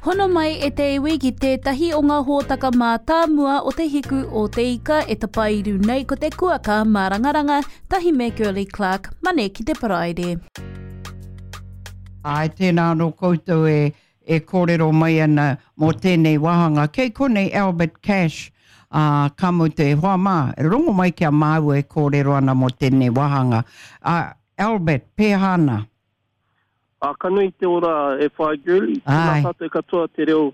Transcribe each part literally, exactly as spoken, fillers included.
Hono mai e te iwi ki tētahi o ngā hōtaka mātāmua o te hiku o te ika e tapairu nei ko te kuaka mārangaranga tahi me Girlie Clark, Mane ki te Paraire. Āe, tēnā anō koutou e, e kōrero mai ana mō tēnei wāhanga. Kei konei Albert Cash, ā, ka mutu e hoa mā, rongo mai ki a māua e kōrero ana mō tēnei wāhanga. Ā, Albert, pēhā ana? Ā, ka nui te ora e whai girlie. Tēnā tātou katoa te reo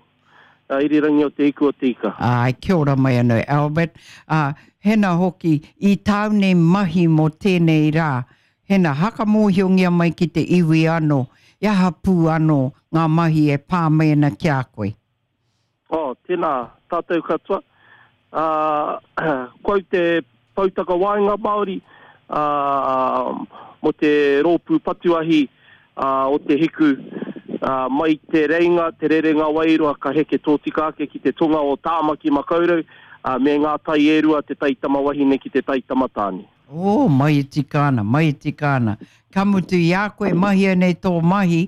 irirangi o Te Hiku o Te Ika. Āe, kia ora mai anō Albert. Ā, hena hoki, i tāu nei mahi mō tēnei rā, hena hakamōhiongia mai ki te iwi anō, i aha pū anō ngā mahi e pā mai ana ki a koe? Oh, tēnā tātou katoa. Ā, ko au te poutakawaenga Māori, ā, mō te rōpū patuahi, ā, o Te Hiku, ā, mai Te Reinga, Te Rerenga Wairua ka heke tōtika ake ki te tonga o Tāmaki Makaurau, ā, me ngā tai e rua, te tai tamawahine ki te tai tamatāne. Oh, mai e tika ana, mai e tika ana. Ka mutu i a koe mahia nei tō mahi,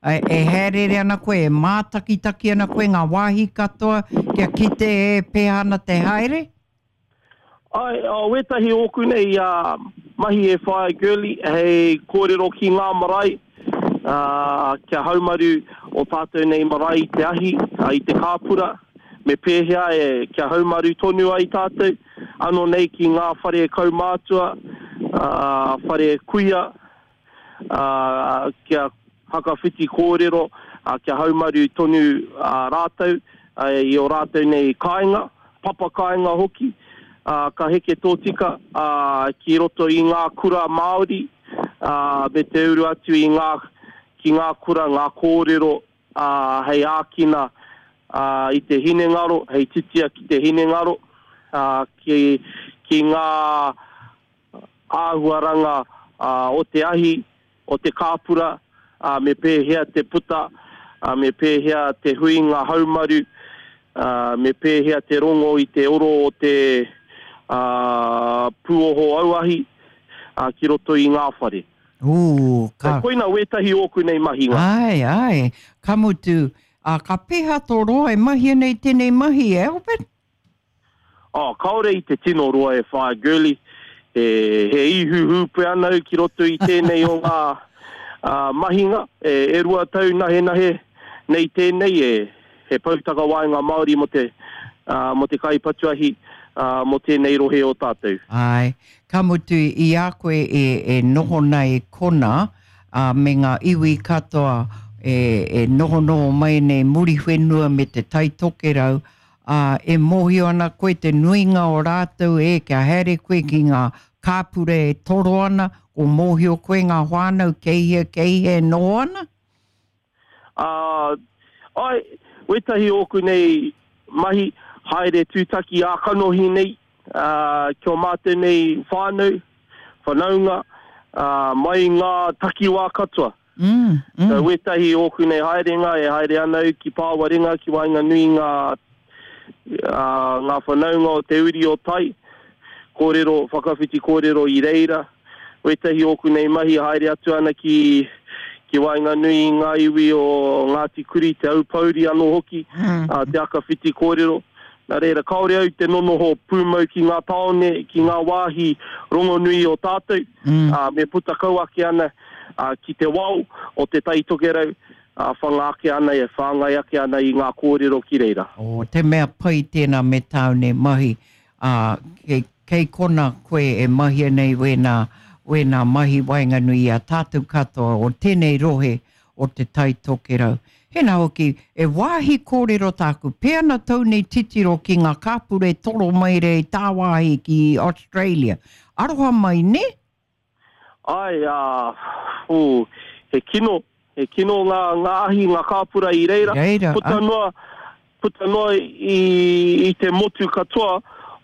e haereere ana koe, e mātakitaki ana koe ngā wāhi katoa kia kite e pēhea ana te haere? Āe, wētahi ōku nei mahi e whāia Girlie hei kōrero ki ngā marae, kia haumaru o tātou nei marae i te ahi, i te kāpura, me pēhea e kia haumaru tonu ai tātou, ano nei ki ngā whare kaumātua, whare kuia, ā, kia hakawhiti kōrero, ā, kia haumaru tonu rātou i ō rātou nei kāinga, papa kāinga hoki, ā, ka heke tōtika, ā, ki roto i ngā kura Māori, ā, me te uru atu i ngā, ki ngā kura ngā kōrero, ā, hei ākina, ā, i te hinengaro, hei titia ki te hinengaro, ā, ki, ki ngā āhuaranga o te ahi, o te kāpura, ā, me pēhea te puta, ā, me pēhea te huinga haumaru, ā, me pēhea te rongo i te oro o te, ā, pūoho auahi, ā, ki roto i ngā whare. Ū, ka. Koina wētahi ōku nei mahinga. Āe, āe, ka mutu, ā, ka pēhea tō roa e mahia nei tēnei mahi, e Albert? Oh, kāore i te tino roa e whaia Girlie, he, he ihu hūpē ana au ki roto i tēnei o ngā uh, mahinga, e, e rua tau nahenahe nei tēnei, e, he poutakawaenga Māori mō te, uh, mō te kaipatuahi, uh, mō tēnei rohe o tātou. Āe, ka mutu i a koe e, e noho nei kona, uh, me ngā iwi katoa e, e nohonoho mai nei Muriwhenua me te Tai Tokerau, ā, e mōhio ana koe te nuinga o rātou e kia haere koe ki ngā kāpura e toro ana, ko mōhio koe ngā whānau kei hea, kei hea e noho ana? Ā, āe, wētahi ōku nei mahi, haere tūtaki ā-kanohi nei, ā, ki ō mātou nei whānau, whanaunga, ā, mai ngā takiwā katoa. Mm, mm. So, wētahi ōku nei haerenga, e haere ana au ki Pāwarenga, ki waenganui ngā, ā, ngā whanaunga o te uri o Tai, kōrero, whakawhiti kōrero i reira. Wētahi ōku nei mahi haere atu ana ki, ki waenganui i ngā iwi o Ngāti Kuri, Te Aupōuri anō hoki, mm. ā, te akawhiti kōrero. Nā reira, kāore au te nonoho pūmau ki ngā tāone, ki ngā wāhi rongonui o tātou, mm. ā, me puta kau ake ana ā, ki te wao o Te Tai Tokerau, ā, whanga ake ana, e whāngai ake ana i ngā kōrero ki reira. Oh, te mea pai tēnā me tāu nei mahi, ā, kei, kei kona koe e mahia nei wēnā, wēnā mahi waenganui i a tātou katoa o tēnei rohe o Te Tai Tokerau. Hena hoki, e wāhi kōrero tāku, pē ana tou nei titiro ki ngā kāpura e toro mai rei tāwāhi ki Australia. Aroha mai, nē? Āe, ā, ū, he kino, he kino ngā, ngā ahi, ngā kāpura i reira, Reira, puta ā. noa, puta noa i, i te motu katoa,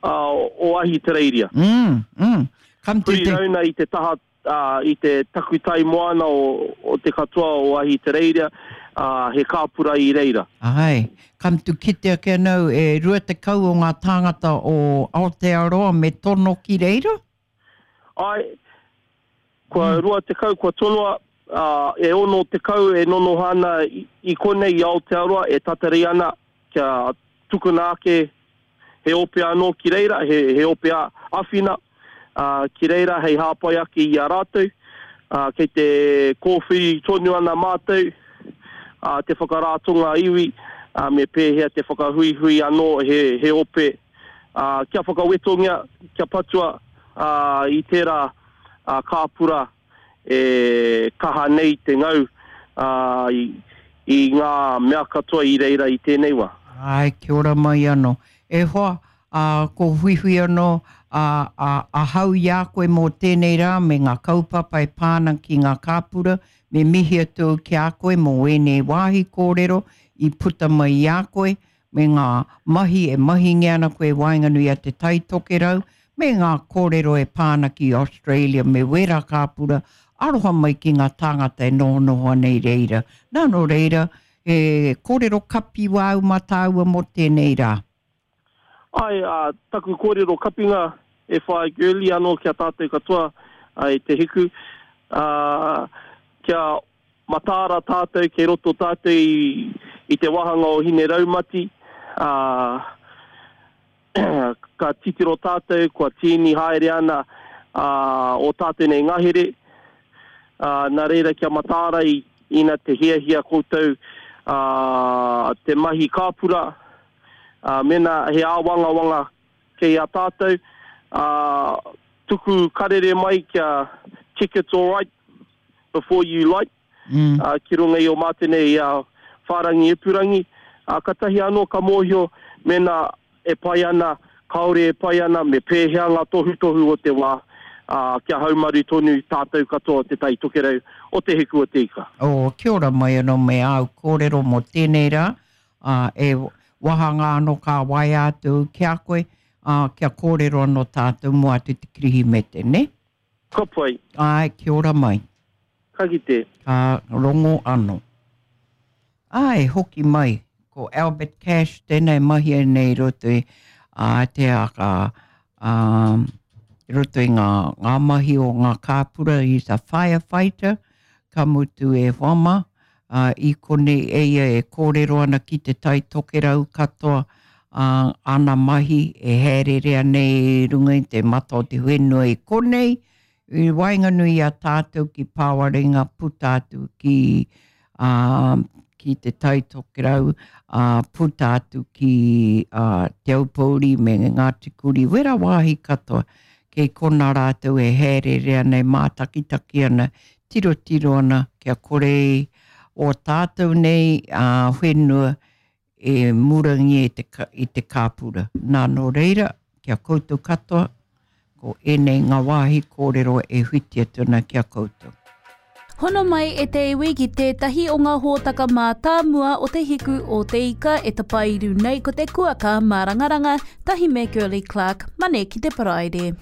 ā, o Ahitereiria. Mm, mm. Come to Huri te. rauna i te taha ā, i te takutai moana o, o te katoa o Ahitereiria, ā, he kāpura i reira. Āe, ka mutu kite ake ana au e rua tekau o ngā tāngata o Aotearoa me tono ki reira? Āe, kua rua tekau kua tonoa, e ono tekau e nonoho ana i konei i Aotearoa e tatari ana kia tukuna ake he ope anō ki reira, he, he ope āwhina ki reira hei hāpai ake i a rātou. Kei te kōwhiri tonu ana mātou te whakarātonga iwi, me pēhea te whakahuihui anō he, he ope kia whakawetongia, kia patua i tērā kāpura e kaha nei te ngau i, i ngā mea katoa i reira i tēnei wā. Ai, kia ora mai anō. E hoa, uh, ko huihui anō a, a, ahau i a koe mō tēnei rā me ngā kaupapa e pāna ki ngā kāpura, me mihi atu ki a koe mō ēnei wāhi kōrero i puta mai i a koe, me ngā mahi e mahingia ana koe waenganui a Te Tai Tokerau, me ngā kōrero e pāna ki Australia me wera kāpura, aroha mai ki ngā tāngata e nohonoho ana i reira. Nā nō reira, e kōrero kapi wāu mā tāua mō tēnei rā. Ai, uh, taku kōrero kapinga e whai girly anō kia tātou katoa i te hiku. Uh, kia mataara tātou, kei roto tātou i, i te wāhanga o Hine Raumati. Uh, ka titiro tātou, kua tīni haere ana uh, o tātou nei ngahere. Uh, nā reira kia mataara i, ina te hiahia koutou uh, te mahi kāpura. Uh, mena he āwangawanga kei a tātou, uh, tuku karere mai kia check it's all right before you light, mm. uh, ki runga i o mātou nei uh, whārangi ipurangi. Uh, katahi anō ka mōhio mena e pai ana, kāore e pai ana, me pēhea ngā tohutohu o te wā, uh, kia haumaru tonu tātou katoa o Te Tai Tokerau o Te Hiku o Te Ika. Oh, kia ora mai anō me āu kōrero mō tēnei rā, uh, e wahanga anō ka waea atu ki a koe, uh, kia kōrero anō tātou mō atu te Kirihimete, ne? Ka pai. Ai, kia ora mai. Ka kite. Ka rongo anō. Ai, hoki mai, ko Albert Cash tēnei mahi nei roto i uh, te aka, um, roto i ngā, ngā mahi o ngā kāpura, he's a firefighter, ka mutu e wama, Uh, i konei e ia e kōrero ana ki Te Tai Tokerau katoa uh, ana mahi e haererea nei runga i te mata o te whenua i konei, i waenganui a tātou ki Pāwarenga puta atu ki, uh, ki Te Tai Tokerau, uh, puta atu ki uh, Te Aupōuri me Ngāti Kuri, wera wāhi katoa, kei kona rātou e haererea nei mātakitaki ana, tirotiro ana, kia kore o tātou nei uh, whenua e murangi i te, i te kāpura. Nā nō reira, kia koutou katoa, ko ēnei ngā wāhi kōrero e whiti atu ana kia koutou. Hono mai e te iwi ki tētahi o ngā hōtaka mātāmua o Te Hiku o Te Ika e tapairu nei ko te kuaka mārangaranga, tahi me Girlie Clark, Mane ki te Paraire.